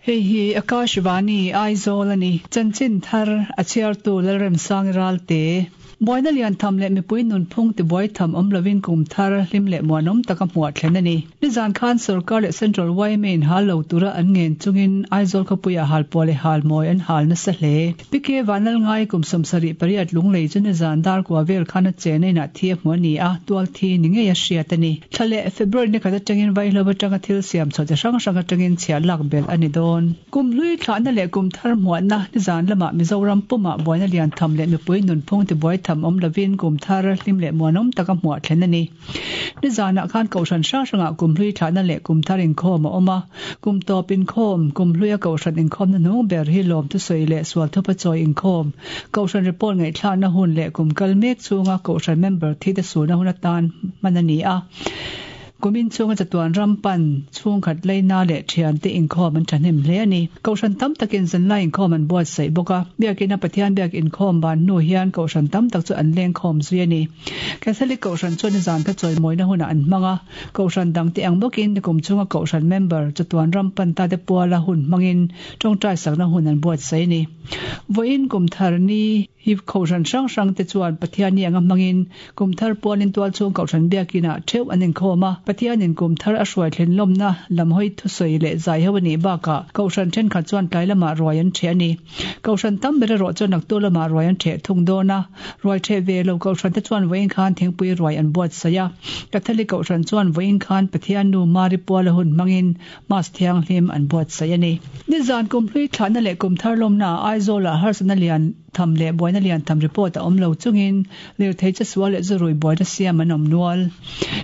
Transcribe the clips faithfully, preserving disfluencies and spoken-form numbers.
Hei hi Akashvani Aizawl ani. Chanchin thar a chhiartu Lalremsangi Ralte. Buaina lian tham leh mipui nunphung tibuai tham awm lovin kum thar hlim leh muanawm taka hmuah thlen a ni. Nizan khan Sorkar leh Central Y M A in hal lo tura an ngen chungin Aizawl khawpuiah halpuah leh halmawi an hal nasa hle. P K Vanlalngai kum sawmsarih pariat Lunglei chu nizan dar kua vel khan a chena inah thi a hmu a ni a, tual thi ni ngei a hriat a ni. Thla leh February ni khat atangin vaihlo atanga thil siam chhuah chi hrang hrang atangin chhiah lak belh a ni dawn. Kum hlui thlahna leh kum thar hmuahna nizan lamah Mizoram pumah buaina lian tham leh mipui nunphung tibuai tham awm lovin kum thar hlim leh muanawm taka hmuah thlen a ni. Nizanah khan kohhran hrang hrangah kum hlui thlahna leh kum thar inkhawm a awm a. Kum tawp inkhawm, kum hluia kohhran inkhawmna hnung ber hi lawm thusawi leh sual thupa chawi inkhawm, kohhran report ngaihthlakna hun leh kum kal mek chhunga kohhran member thi te suna hun atan hman a ni a. Kumin chhunga chatuan ram pan chhungkhat leina leh thian te inkhawm an thahnem hle a ni. Kohhran tam takin zanlai inkhawm an buatsaih bawk a. Biakina Pathian biak inkhawm ban hnu hian kohhran tam tak chu an leng khawm zui a ni. Catholic kohhran chuan nizan kha chawimawina hunah an hmang a. Kohhran dang te ang bawkin nikum chhunga kohhran member chatuan ram pan ta te puala hun hmangin tawngtai sakna hun an buatsaih a ni. Vawiin kum thar ni hi kohhran hrang hrang te chuan Pathian ni anga hmangin kum thar pualin tual chhung kohhran biakinah theuh an inkhawm a. Pathianin kum thar a hruai thlen lawmna lam hawi thusawi leh zai ho a nih bakah kohhran thenkhat chuan tlai lamah ruai an ṭheh a ni. Kohhran tam ber erawh chuan naktuk lamah ruai an ṭheh thung dawn a. Ruai ṭheh ve lo kohhran te chuan vawiin khan thingpui ruai an buatsaih a. Catholic kohhran chuan vawiin khan Pathian nu Mari puala hun hmangin Mass thianghlim an buatsaih a ni. Nizan kum hlui thlahna leh kum thar lawmna Aizawlah harsatna lian tham leh buaina lian tham report a awm lo chungin lirthei chesual leh zurui buaina siam an awm nual.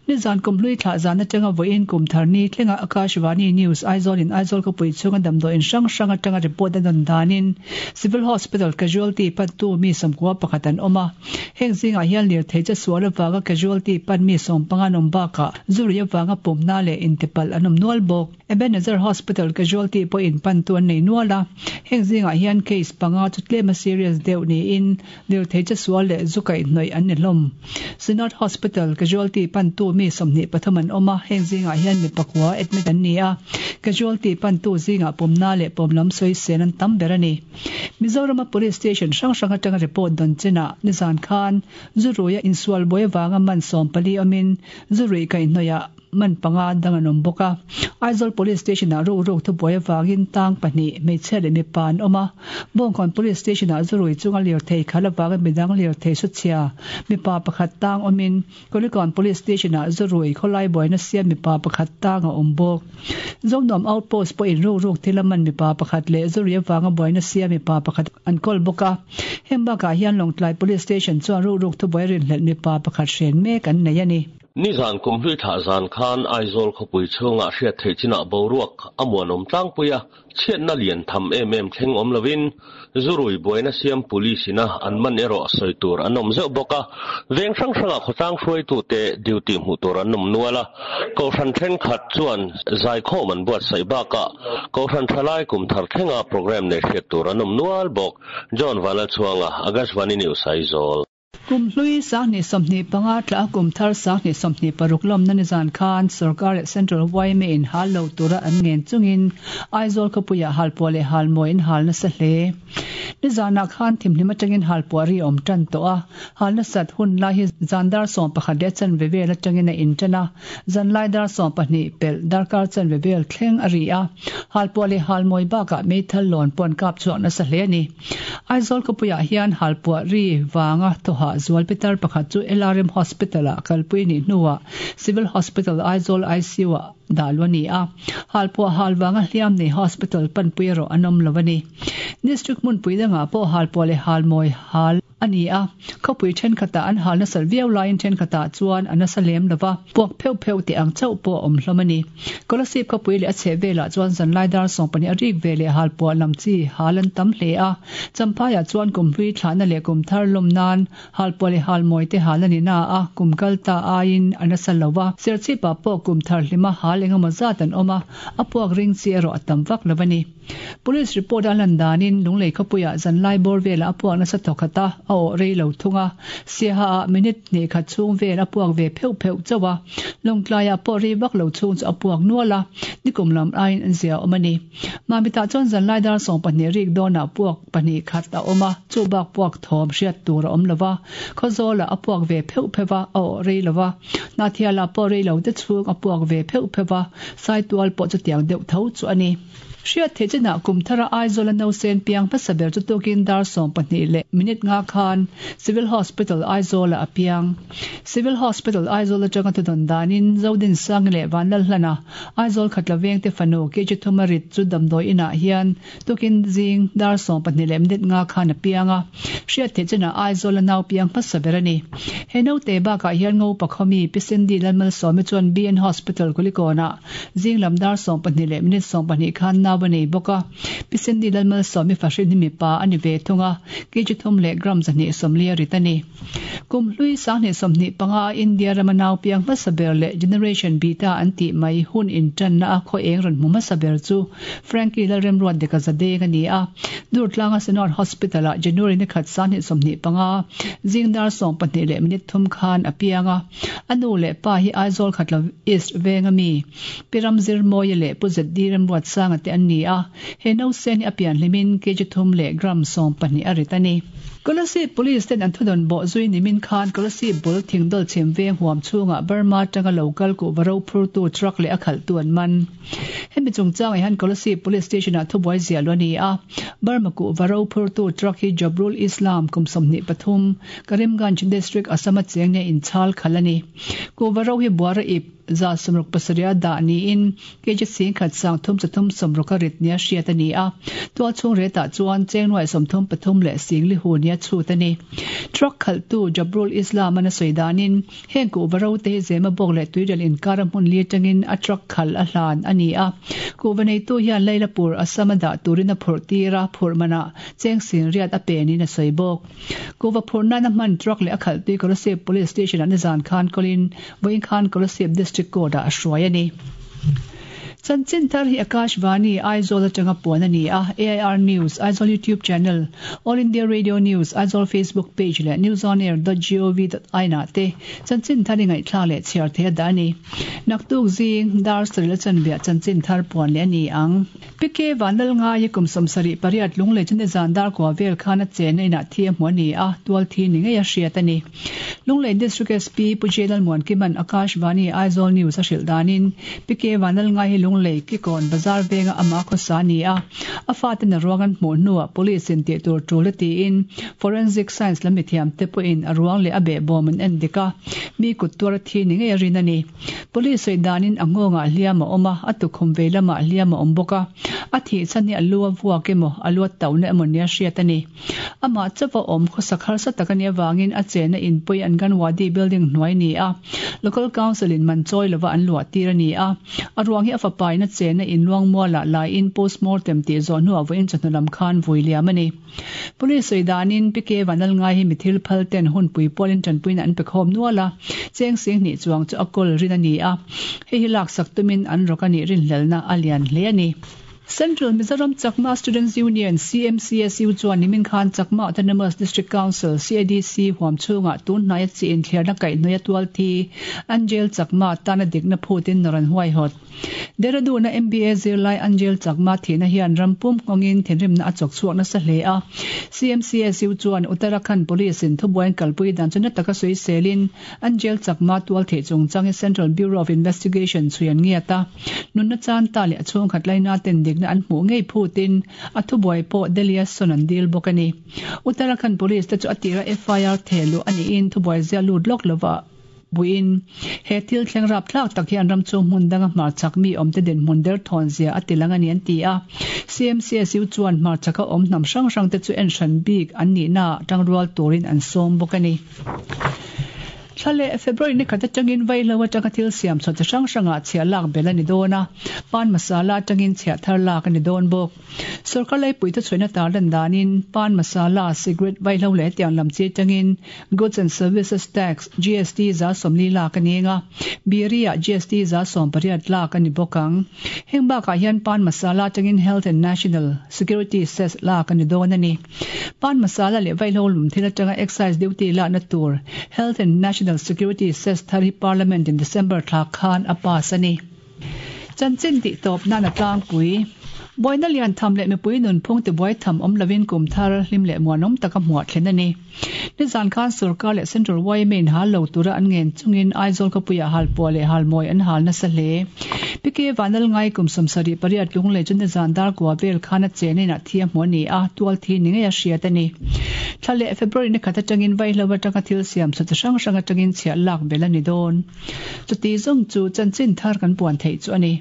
Nizan kum hlui thlah zan atanga vawiin kum thar ni thlenga Akashvani News Aizawl in Aizawl khawpui chhunga damdawiin hrang hrang atanga report a dawn danin Civil Hospital casualty pantu mi sawmkua pakhat an awm a. Heng zingah hian lirthei chesual avanga casualty pan mi sawm panga an awm bakah zurui avanga pumna leh intipalh an awm nual bawk. Ebenezer Hospital casualty pawhin pantu an nei nual a. Heng zingah hian case panga chu tlema serious deuh niin lirthei chesual leh zu kaihhnawih an ni hlawm. Synod Hospital casualty pantu mi sawmhnih pathum an awm a. Heng zingah hian mi pakua admit an ni a. Casualty pantu zingah pumna leh pawmlam sawi sen an tam ber a ni. Mizorama Police Station hrang hrang atanga report dawn chinah nizan khan zuruia insual buai awanga man sawm pali awmin zurui kaihhnawihah man panga dang an awm bawk a. Aizawl Police Station-ah ruk ruk thubuai avangin tang pahnih hmeichhia leh mipa an awm a. Bawngkawn Police Station-ah zurui chunga lirthei khalh avanga midang lirthei suchhia mipa pakhat tang awmin Kulikawn Police Station-ah zurui khawlai buaina siam mipa pakhat tang a awm bawk. Zonuam Outpost pawhin ruk ruk thil a man mipa pakhat leh zurui avanga buaina siam mipa pakhat an kawl bawk a. Heng bakah hian Lawngtlai Police Station chuan ruk ruk thubuai rinhlelh mipa pakhat hren mek an nei a ni. Nizan kum hlui thlah zan khan Aizawl khawpui chhungah hriat theih chinah boruak a muanawm tlangpui a. Chhiatna lian tham em em thleng awm lovin zurui buaina siam police ina an man erawh sawi tur an awm zeuh bawk a. Veng hrang hrangah khawtlang hruaitute duty hmuh tur an awm nual a. Kohhran thenkhat chuan zaikhawm an buatsaih bakah kohhran thalai kum thar thlenga program nei hriat tur an awm nual bawk. John Vanlalchhuanga, Akashvani News, Aizawl. Kum hlui sanghnih sawmhnih panga tla a kum thar sanghnih sawmhnih paruk lawmna nizan khan Sorkar leh Central Y M A in hal lo tura an ngen chungin Aizawl khawpuiah halpuah leh halmawi an hal nasa hle. Nizanah khan thimhlim atangin halpuah ri awm tan tawh a. Hal nasat hun lai hi zan dar sawm pakhat leh chanve vel atangin a intan a. Zanlai dar sawm pahnih pelh darkar chanve vel thleng a ri a. Halpuah leh halmawi bakah meithal lawn pawh an kap chhuak nasa hle a ni. Aizawl khawpuiah hian halpuah ri vanga thawha zual pitar pakhat chu L R M Hospital-ah kalpui nih hnuah Civil Hospital Aizawl I C U-ah dah lu a ni a. Halpuah hal vanga hliam nei hospital panpui erawh an awm lo a ni. District hmunpui dangah pawh halpuah leh halmawi hal a ni a. Khawpui thenkhatah an hal nasat viau laiin thenkhatah chuan a nasa lem lova. Puak pheuh pheuh tih ang chauh pawh a awm hlawm a ni. Kolasib khawpui leh a chheh velah chuan zanlai dar sawm pahnih a rik ve leh halpuah lam chi hal an tam hle a. Champhaiah chuan kum hlui thlahna leh kum thar lawm nan halpuah leh halmawi te hal a ni na a, kum kal ta aiin a nasa lova. Serchhipah pawh kum thar hlima hal engemaw zat an awm a, a puak ring chi erawh a tam vak lo a ni. Police report a lan danin Lunglei khawpuiah zanlai bawr velah a puak nasa thawk khat a, a awh rei lo thung a. Siaha ah minute hnih khat chhung vel a puak ve pheuh pheuh chauh a, Lawngtlaiah pawh rei vak lo chhung chu a puak nual a, nikum lam aiin an zia awm a ni. Mamitah chuan zanlai dar sawm pahnih rik dawnah puak pahnih khat a awm a, chu bak puak thawm hriat tur a awm lo va, Khawzawlah a puak ve pheuh pheuh a, a awh rei lo va, Hnahthialah pawh rei lo te chhung a puak ve pheuh pheuh va, Saitual pawh chutiang deuh tho chu a ni. Hriat theih chinah kum thara Aizawla nausen piang hmasa ber chu tukin dar sawm pahnih leh minute nga khan Civil Hospital Aizawlah a piang. Civil Hospital Aizawl atanga thudawn danin Zodinsangi leh Vanlalhlana Aizawl Khatla vengte fanu K G thuma rit chu damdawi inah hian tukin zing dar sawm pahnih leh minute nga khan a piang a. Hriat theih chinah Aizawla nau piang hmasa ber a ni. He naute bakah hian Ngopa khawmi Pi Cindy Lalmalsawmi chuan B N Hospital Kulikawnah zing lam dar sawm pahnih leh minute sawm pahnih khan nau a nei bawk a. Pi Cindy Lalmalsawmi fahrin hi mipa a ni ve thung a, kg thum leh gram zahnih sawmli a rit a ni. Kum hlui sanghnih sawmhnih panga a India rama nau piang hmasa ber leh Generation Beta an tih mai hun intanna a khaw eng rawn hmu hmasa ber chu Frankie Lalremruat Deka Zadeng a ni a. Durtlanga Synod Hospital ah January ni khat sanghnih sawmhnih panga zing dar sawm pahnih leh minute thum khan a piang a. A nu leh pa hi Aizawl Khatla East venga mi Pi Ramzirmawia leh Pu Z D Remruatsanga te an ni a. He nausen hi a pian hlimin kg thum leh gram sawm pahnih a rit a ni. Kolasib Police ten an thudawn bawh zui nimin khan Kolasib bul thingdawl chhim veng huam chhungah Burma atanga lo kal kuhva ro phurtu truck leh a khalhtu an man. Hemi chungchangah hian Kolasib Police Station ah thubuai ziah lo a ni a. Burma kuhva ro phurtu truck hi Jabrul Islam kum sawmhnih pathum, Karimganj District Assam a cheng nia inchhal khalh a ni. Kuhva ro hi buara ip za sawmruk pasarih a dah niin kg singkhat sang thum chathum sawmruk a rit nia hriat a ni a. Tual chhung retah chuan chengnuai sawmthum pathum leh singli hu nia chhut a ni. Truck khalhtu Jabrul Islam an a sawi danin heng kuhva ro te hi zema bawk leh tuirial inkar a hmun li atangin a truck khalh a hlan a ni a. Kuhva neitu hian Lailapur Assam a dah turin a phurh tir a, phurh manah cheng sing riat a penin a sawi bawk. Kuhva phurh nana hman truck leh a khalhtui Kolasib Police Station ah nizan khan kawlin vawiin khan Kolasib District Court ah a hruai a ni. Chanchin thar hi Akashvani Aizawl atanga puan a ni a, A I R News, Aizawl YouTube Channel, All India Radio News, Aizawl Facebook Page leh newsonair dot gov dot in ah te chanchin thar i ngaihthlak leh chhiar thei a dah a ni. Naktuk zing dar sarih la chanveah chanchin thar puan leh a ni ang. P K Vanlalngai kum sawmsarih pariat Lunglei chu nizan dar kua vel khan a chenna inah thi a hmu a ni a, tual thi ni ngei a hriat a ni. Lunglei District S P Pu J Lalmuankiman Akashvani Aizawl News a hrilh danin P K Vanlalngai hi Lunglei Kikawn Bazar venga ama khawsa a ni a, a faten a ruang an hmuh hnuah police in tih tur tul a tiin Forensic Science lam mithiam te pawhin a ruang leh a behbawm an en dik a, mi kut tuar a thi ni ngei a rin a ni. Police sawi danin a nghawngah hliam a awm a, a tukhum vei lamah hliam a awm bawk a, a thih chhan hi a lu a vuak emaw a lu a tauhna emaw nia hriat a ni. Amah chauh a awm khawsak harsa tak a nih avangin a chenna inpui Anganwadi building hnuai ni a, Local Council in man chawi lova an luah tir a ni a. A ruang hi a fapa in a chenna inluang mualah laiin postmortem tih zawh hnuah vawiin chawhnu lam khan vui liam a ni. Police sawi danin P K Vanlalngai hi mi thil phal ten hunpui pawlin tanpuina an pe khawm nual a, cheng sing hnih chuang chu a kawl rin a ni a, hei hi laksak tumin an rawk a nih rinhlelhna a lian hle a ni. Central Mizoram Chakma Students Union, C M C S U, chuan nimin khan Chakma Autonomous District Council, C A D C, huam chhungah tun hnaia chi inthliarna kaihhnawih a tual thi Angel Chakma tana dikna phutin nawr an huaihawt. Dehradun-a M B A zirlai Angel Chakma thihna hian rampum nghawngin thinrimna a chawk chhuak nasa hle a. C M C S U chuan Uttarakhand Police in thubuain kalpui dan chu na taka sawi selin Angel Chakma tual theih chungchang hi Central Bureau of Investigation chhui an ngiat a. Nunna chan ta leh a chhungkhat laina ten dikna an hmuh ngei phutin a thubuai pawh Delhi a sawn an dil bawk a ni. Uttarakhand Police te chu a tira F I R thehluh a niin thubuai zia lut lawk lova buin he thil thleng rap thlak tak hian ram chu hmun danga hmarchhak mi awm te dinhmun der thawn zia a tilang a ni an ti a. C M C S U chuan hmarchhaka awm hnam hrang hrang te chu en hran bik an nihna tangrual turin an sawm bawk a ni. Thla leh February ni khat atangin vaihlo atanga thil siam chhuah chi hrang hrangah chhiah lak belh a ni dawn a, pan masala atangin chhiah thar lak a ni dawn bawk. Sorkar laipui thuchhuahna tarlan danin pan masala, cigarette, vaihlo leh hetiang lam chi atangin Goods and Services Tax, GST, za sawmli lak a ni eng a, biri-ah GST za sawm pariat lak a ni bawk ang. Heng bakah hian pan masala atangin Health and National Security Cess lak a ni dawn a ni. Pan masala leh vaihlo lum thil atanga excise duty lakna tur Health and National Security Cess thar hi Parliament in December thla khan a pass a ni. Chanchin tih tawp nan a tlangpui. Buaina lian tham leh mipui nunphung tibuai tham awm lovin kum thar hlim leh muanawm taka hmuah thlen a ni. Nizan khan sorkar leh Central yma in hal lo tura an ngen chungin Aizawl khawpuiah halpuah leh halmawi an hal nasa hle. PK Vanlalngai kum sawmsarih pariat lunglei chu nizan dar kua vel khan a chen inah thi a hmu a ni a, tual thi ni ngei a hriat a ni. Thla leh February ni khat atangin vaihlo atanga thil siam chhuah chi hrang hrang atangin chhiah lak belh a ni dawn. Chuti zawng chu chanchin thar kan puan theih chu a ni.